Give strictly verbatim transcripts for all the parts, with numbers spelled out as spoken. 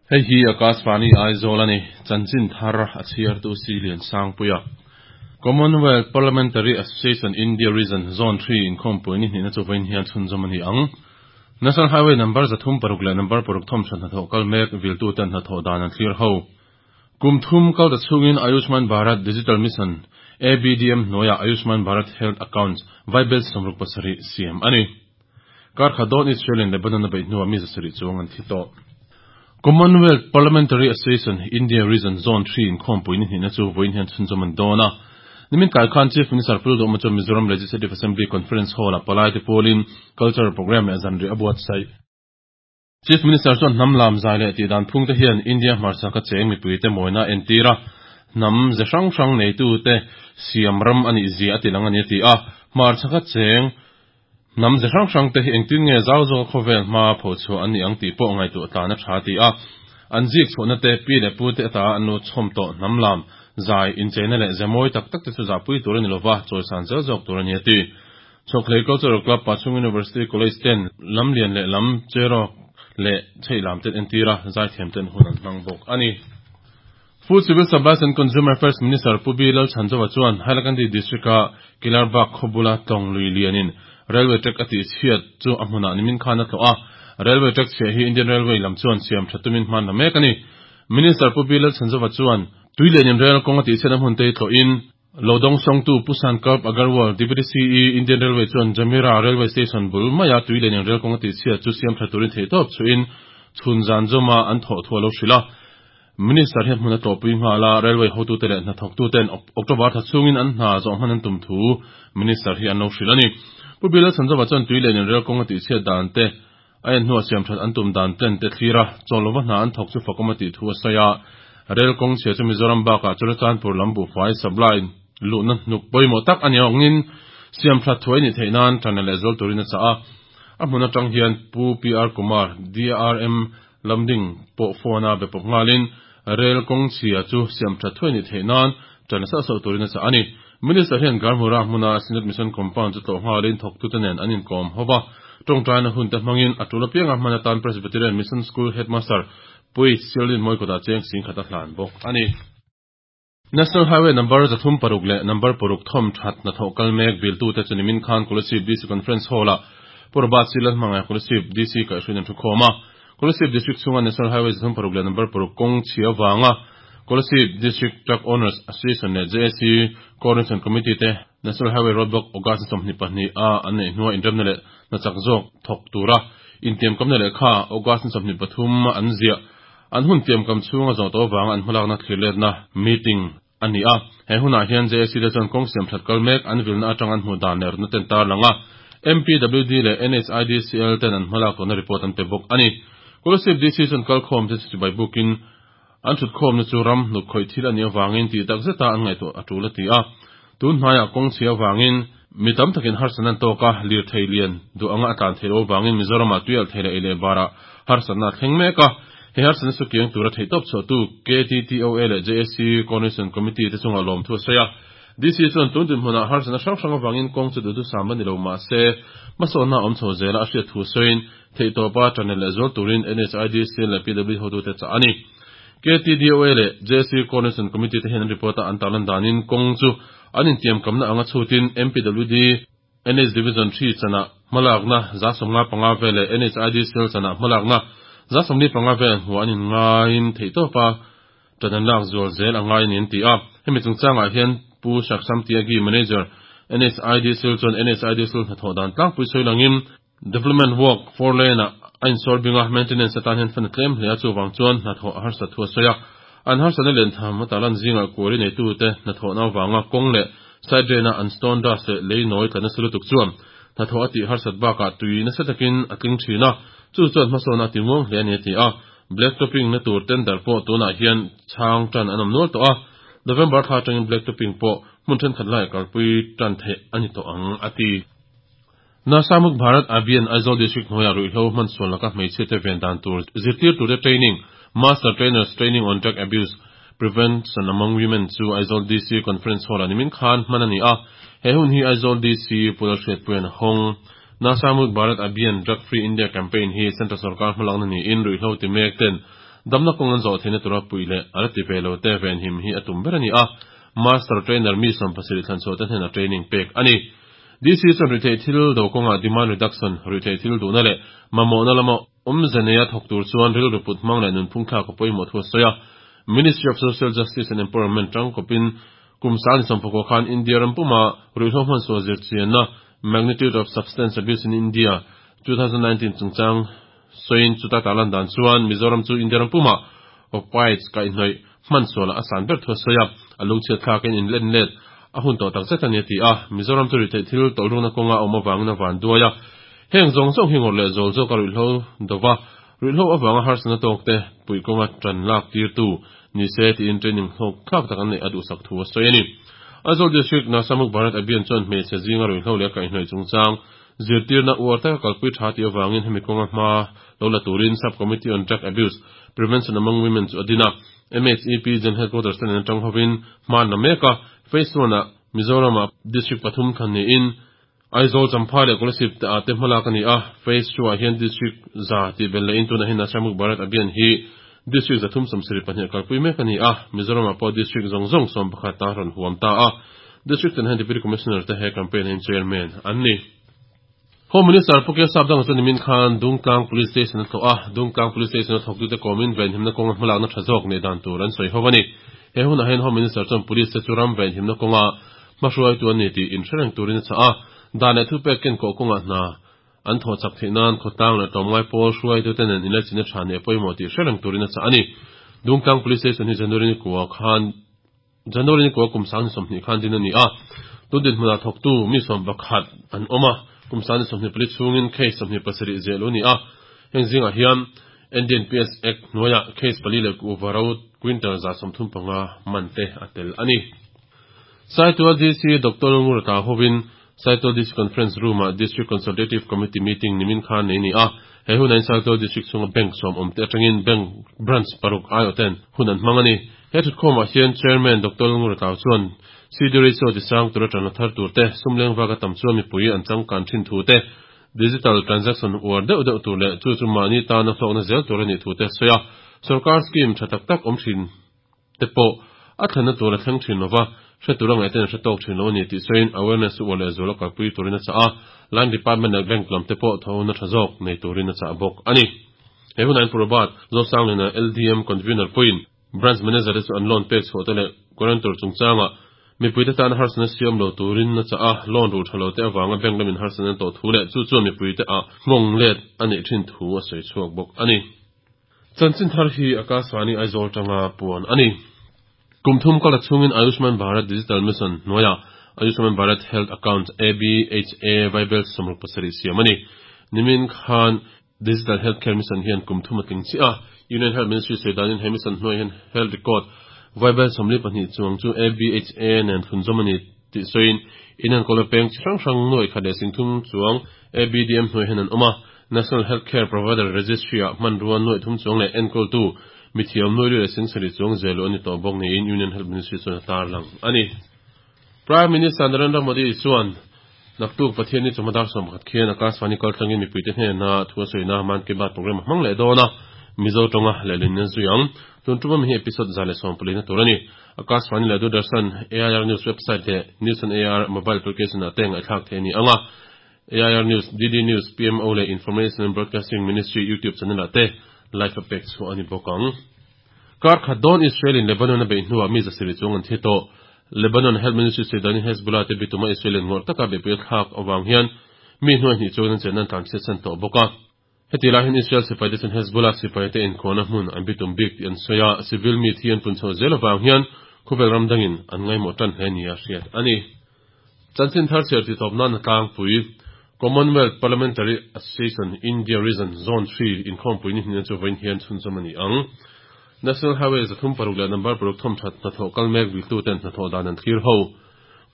Hei hi Akashvani Aizawl ani chanchin thar a chhiar tu si lian sangpuia Commonwealth Parliamentary Association India Region Zone three in khompui ni hnina chuwain hian chhunzawm ani ang National Highway number zathum paruk leh number paruk thom than hnathawh kal mek viltu ten hnathawh dan an thlir ho Kum thum kal ta chungin Ayushman Bharat Digital Mission A B D M hnuaia Ayushman Bharat Health Accounts Vaibel sawmruk pasarih siam ani Kar khat dawn Israel in Lebanon a beih hnuah mi zasarih chuang an thi tawh Commonwealth Parliamentary Association India Region Zone three in khompui ni hnihna chu vawiin hian chhunzawm an dawn a Nimin kai khan Chief Minister Pu Lalduhoma chu Mizoram Legislative Assembly Conference Hall a palai te pawlin cultural program leh zanri a buatsaih Chief Minister chuan hnam lam zai leh tih dan phung te hian India hmarchhak a cheng mipui te mawina a entir a hnam ze hrang hrang neitu te siam ram anih zia a ti lang ani a ti a hmarchhak a cheng hnam ze hrang hrang te hi engtin nge zau zawk a khawvel hma pho chhuah an ni ang tih pawh ngaihtuah tlan a tha ti a an zik chhuahna te pi leh pu te ata an lo chhawm tawh hnam lam zai incheina leh ze mawi tak tak te chu zahpui tur ani lova chawisan zel zawk tur ani a ti Chhawkhlei Cultural Club Pachhung University College ten lam lian leh lam cherawk leh chheih lam ten entir a zaithiam ten hun an hmang bawk ani Food Civil Supplies and Consumer Affairs Minister Pu B Lalchhanzova chuan Hailakandi District a Kilarbagh khawbula tlawng lui lianin Railway track a tih chhiat chu a hmunah nimin khan a tlawh a Railway track chhiah hi Indian Railway lam chuan siam tha tumin hman la mek ani Minister Pu B Lalchhanzova chuan tui lianin rail kawng a tih chhiat a hmun te hi tlawhin Lodong Songtu Pu Sankalp Agarwal Deputy C E Indian Railway chuan Jamira Railway Station bul maia tui lianin rail kawng a tih chhiat chu siam tha turin theih tawp chuin chhun zan zawma an thawh thu a lo hrilh a Minister hian hmun a tlawhpui nghal a railway hotute leh hnathawktuten October tha chhungin an hna zawh hman an tum thu Minister hi an lo hrilh ani Pu B Lalchhanzova chuan tui lianin rail kawng a tih chhiat dan te a en hnuah siam that an tum dan ten te thlir a chawlova hna an thawk chu fakawm a tih thu a sawi a rail kawng chhia chu Mizoram bakah Churachandpur lam buhfai supply luhna hnuk pawimawh tak ani awngin siam that thuai ni theih nan tana leh zual turin a chah a a hmun atang hian Pu P R Kumar D R M Lamding pawh phone a be pawp nghalin rail kawng chhia chu siam that thuai ni theih nan tana sauh sauh turin a chah ani Minister hian Garmura hmuna Synod Mission Compound chu tlawh nghalin thawktute nen an inkawm hova tawngtaina hun te hmangin a tul apianga hman atan Presbyterian Mission School Headmaster Pui Sialin Mawikawtah cheng sing khat a hlan bawk ani National Highway number zathum paruk leh number paruk thawm that hnathawh kal mek viltu te chu nimin khan Kolasib D C Conference Hall ah Purba Silan hmangai Kolasib D C kaihhruin an thu khawm a Kolasib District chhunga National Highway zathum paruk leh number paruk kawng chhia wanga Kolasib District Truck Owners Association leh J A C Coordination Committee te National Highway Roadblock August sawmhnih pahnih a an neih hnuah inremna leh hnachak zawk thawk tura intiam kamna leh kha August sawmhnih pathum an ziah an hun tiam kam chhunga zawh tawh wanga an hmalakna thlir letna meeting ani a he hunah hian J A C te chuan kawng siam that kal mek an vilna atang an hmu dan leh rutna ten tar langa M P W D leh N H I D C L ten an hmalak tawhna report an pe bawk ani Kolasib D C chuan kal khawm te chu bai bukin an thut khawmna chu ram hnuk khawih thil ani awangin tih tak zeta an ngaihtuah a tul a ti a tun hmaiah kawng chhia awangin mi tam takin harsan an tawk a lir thei lian duh anga a tlan thei lo awangin Mizorama tuial thei leh ei leh barah harsanna a thleng mek a he harsanna chu kiang tura theih tawp chhuah tu K T T O A leh J A C Coordination Committee te chunga lawm thu a sawi a D C chuan tun din hmunah harsanna hrang hrang awangin kawng chu duhdu sam ani lo mah se hmasawnna awm chho zela a hriat thu sawiin theih tawpa channel leh zual turin N H I D C leh P W hotute chah ani K T D O A leh J C Coordination Committee te hian an report a an tarlan danin kawng chu an intiam kamna anga chhutin M P W D N H Division three chana hmalakna za sawmnga panga vel leh N H I D C L chana hmalakna za sawmli panga vel hmuh an inngaiin theih tawpa tan an lak zual zel a ngai ani an ti a hemi chungchangah hian Pu Saksham Tyagi Manager N H I D C L chuan N H I D C L hnathawh dan tlangpui sawi langin Development work four lane ah a insawl binga maintenance atan hian fan a tlem hle a chuwang chuan hnathawh a harsa thu a sawi a an harsana len tham a talan zingah kuari neitu te hnathawhna awanga kawng leh side drain a an stone dust leh lei nawi tla nasa lutuk chuan hnathawh a tih harsat bakah tui nasa takin a tling thin a chu chuan hmasawnna a ti muang hle ani a ti a black topping na tur tender pawh tunah hian chhang tan an awm nual tawh a November thla atangin black topping pawh hmun thenkhat lai kalpui tan theih ani tawh ang a ti Nasamuk Bharat Abhiyan Aizawl District hnuaiah ruihhlo hman sual laka hmeichhia te ven dan tur zirtir tur te training Master Trainers Training on Drug Abuse Prevention Among Women chu Aizawl D C Conference Hall a nimin khan hman a ni a. He hun hi Aizawl D C Pula Hriatpuian hawng. Nasha Mukt Bharat Abhiyan Drug Free India Campaign hi Central Sarkar hmalakna niin ruihhlo ti mek ten damna kawng an zawh theihna tura puih leh a la ti ve lo te venhim hi a tum ber a ni a. Master Trainer mi sawm pasarih thlan chhuah te hnenah training pek a ni. D C chuan ruihtheih thil do kawngah demand reduction, ruihtheih thil duhna leh mamawhna lama awmze neia thawk tur chuan rilru put hmang leh nunphung thlak a pawimawh thu a sawi a. Ministry of Social Justice and Empowerment tangkawpin kum sang ni sawmpakua khan India ram puma ruihhlo hmansual zirchianna Magnitude of Substance Abuse in India twenty nineteen chungchang sawiin, chuta tarlan dan chuan Mizoram chu India ram puma opioids kaihhnawih hmansual a san ber thu a sawi a. A lungchhiat thlakin in len let a hun tawh takzet a ni a ti a. Mizoram chu ruihtheih thil tawlhrukna kawnga a awm avangin a van duai a. Heng zawng zawng hi ngawrh leh zawl zawk a ruihhlo dova ruihhlo avanga harsatna tawk te puih kawnga tan lak tirtu ni se tiin training hlawk thlak tak an neih a duhsak thu a sawi a ni. Aizawl District Nasha Mukt Bharat Abhiyan chuan hmeichhe zinga ruihhlo leh kaihhnawih chungchang zirtirna uar taka kalpui tha tih avangin hemi kawnga hma lo la turin Sub Committee on Drug Abuse Prevention Among Women chu a din a. M H E P General Headquarters ten an atang hovin hma na mek a. Phase one ah Mizoram ah district pathum thlan niin Aizawl, Champhai leh Kolasib te ah te hmalak a ni a. Phase two ah hian district za tih bel lehin tunah hian Nasha Mukt Bharat Abhiyan hi district zathum sawmsarih pahnih kalpui mek a ni a. Mizoram ah pawh district zawng zawng sawm pakhat ta rawn huam ta a. District ten hian Deputy Commissioner te he campaign in chairman an ni. Home Minister Pu K Sapdanga chuan nimin khan Dungtlang Police Station a tlawh a. Dungtlang Police Station a thawk tute kawmin venhimna kawnga hmalakna tha zawk nei dan tur an sawi ho ani. He hunah hian Home Minister chuan police te chu ram venhimna kawnga hmahruai tu an ni tih inhrereng turin a chah a. Dan leh thupek ken kawh kawnga hna an thaw chak theih nan khawtlang leh tlawmngai pawl hruai tu te nen inlaichina tha nei pawimawh tih hrereng turin a chah ani. Dungtlang Police Station hi January ni kua khan January ni kua kum sang ni sawmhnih khan din ani a. Tun din hmunah thawk tu mi sawm pakhat an awm a. Kum sang ni sawmhnih pali chhungin case sawmhnih pasarih zel u ni a. Heng zingah hian N D P S Act hnuaiah case pali leh kuhva ro quintal za sawmthum panga man te a tel ani. Saitual D C Doctor Ngurata hovin Saitual D C Conference Room ah District Consultative Committee meeting nimin khan nei ni a. He hun in Saitual District chunga bank sawm awm te atangin bank branch paruk aiawh ten hun an hmang ani. He thutkhawmah hian Chairman Doctor Ngurata chuan C D ratio ti sang tura tana thar tur te, sumleng vaka tam chuan mipui an changkan thin thu te, digital transaction uar deuh deuh tur leh chu chu mahni tana hlawkna zel tur ani thu te sawi a. Sarkar scheme tha tak tak awm thin te pawh a thlenna tur a thleng thin lova, hre tur angai ten hre tawk thin lo ani tih sawiin, awareness uar leh zual a kalpui turin a chah a. Line department leh bank lam te pawh thona tha zawk nei turin a chah bawk ani. He hun an Purabat Zosanglina L D M convener point branch manager te chu an loan pek chhuah te leh guarantor chungchanga mipui te tan harsatna siam lo turin a chah a. Loan ru thalo te awanga bank lamin harsatna to thu leh chu chuan mipui te a nghawng let ani thin thu a sawi chhuak bawk ani. Chanchin thar hi Akashvani Aizawl tanga puan ani. Kum thum kala chungin Ayushman Bharat Digital Mission hnuaia Ayushman Bharat Health Account A B H A vaibel sawmruk pasarih siam ani. Nimin khan Digital Healthcare Mission hian kum thum a tling chi a. Union Health Ministry seidanin he mission hnuai hian health record vaibel sawmli pahnih chuang chu A B H A nen thlunzawm ani tih sawiin, inan kola peng chi hrang hrang nuai khat leh singthum chuang A B D M hnuai hian an awm a. National Healthcare Provider Registry ah hmanrua nuai thum chuang leh enkawl tu mithiam nuai li leh singsarih chuang zelu ani tawh bawk niin Union Health Ministry chuan a tar lang ani. Prime Minister Narendra Modi chuan naktuk Pathian ni chawhma dar sawm pakhat khian Akashvani kaltlangin mipuite hnena thu a sawina Mann Ki Baat program a hmang leh dawn a. Mizo tawnga lehlin na zui ang. Tun tuma mi hi episode za leh sawm pali na tur ani. Akashvani leh Doordarshan, A I R News website leh News on A I R mobile application ah te ngaihthlak the ani anga. A I R News, D D News, P M O leh Information and Broadcasting Ministry YouTube channel ah te live a pek chu ani bawk ang. Kar khat dawn Israel in Lebanon a beih hnuah mi zasarih chuang an thi tawh. Lebanon Health Ministry seidanin Hezbollah te bituma Israel in ngawrh taka beihpui thlak awang hian mi hnuai hnih chuan an chen an tlan chhiat san tawh bawk a. Heti lai hian Israel sipai te chuan Hezbollah sipai te inkhawhna hmun an bitum bik tih an sawi a. Civil mi thi an pun chho zel awang hian khawvel ram dangin an ngaimawh tan hle ni a hriat ani. Chanchin thar chhiar ti tawp nan a tlangpui. Commonwealth Parliamentary Association India Region Zone three inkhawmpui ni hnin chu vawiin hian chhunzawm ani ang. National Highway zathum paruk leh number paruk thawm that hnathawh kal mek viltu ten hnathawh dan an thlir ho.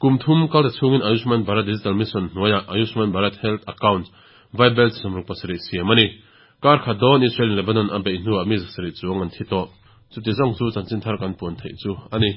Kum thum kal ta chungin Ayushman Bharat Digital Mission hnuaia Ayushman Bharat Health Account vaibel sawmruk pasarih siam ani. Kar khat dawn Israel in Lebanon a beih hnuah mi zasarih chuang an thi tawh. Chuti zawng chu chanchin thar kan puan theih chu a ni.